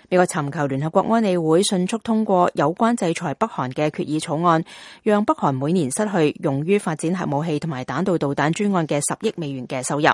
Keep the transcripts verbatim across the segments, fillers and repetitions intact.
美國尋求聯合國安理會迅速通過有關制裁北韓嘅決議草案，讓北韓每年失去用於發展核武器同埋彈道導彈專案嘅十億美元嘅收入。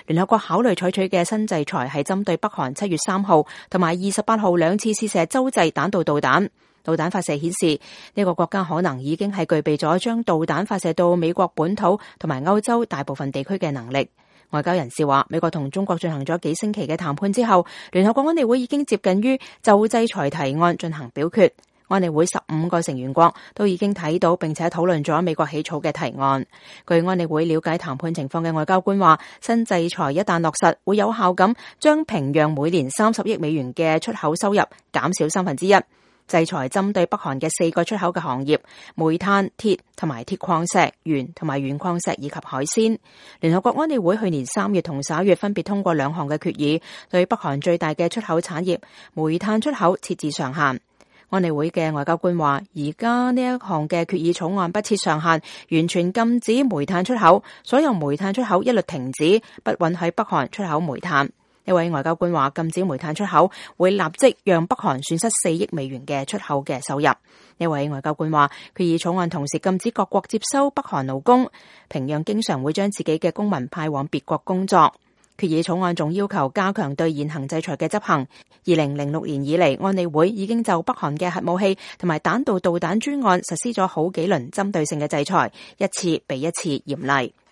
聯合國考慮採取嘅新制裁係針對北韓七月三號同埋二十八號兩次試射洲際彈道導彈。導彈發射顯示，呢個國家可能已經係具備咗將導彈發射到美國本土同埋歐洲大部分地區嘅能力。外交人士話，美國同中國進行咗幾星期嘅談判之後，聯合國安理會已經接近於就制裁提案進行表決。安理會十五個成員國都已經睇到並且討論咗美國起草嘅提案。據安理會了解談判情況嘅外交官話，新制裁一旦落實，會有效咁將平壤每年三十億美元嘅出口收入減少三分之一。制裁針對北韓嘅四個出口嘅行業：煤炭、鐵同埋鐵礦石、鉛同埋鉛礦石以及海鮮。聯合國安理會去年三月同十一月分別通過兩項嘅決議，對北韓最大嘅出口產業煤炭出口設置上限。安理會嘅外交官話，而家呢一項嘅決議草案不設上限，完全禁止煤炭出口，所有煤炭出口一律停止，不允許北韓出口煤炭。一位外交官話，禁止煤炭出口會立即讓北韓損失四億美元嘅出口嘅收入。一位外交官話，決議草案同時禁止各國接收北韓勞工，平壤經常會將自己嘅公民派往別國工作。決議草案仲要求加強對現行制裁嘅執行。二零零六年以嚟，安理會已經就北韓嘅核武器同埋彈道導彈專案實施咗好幾輪針對性嘅制裁，一次比一次嚴厲。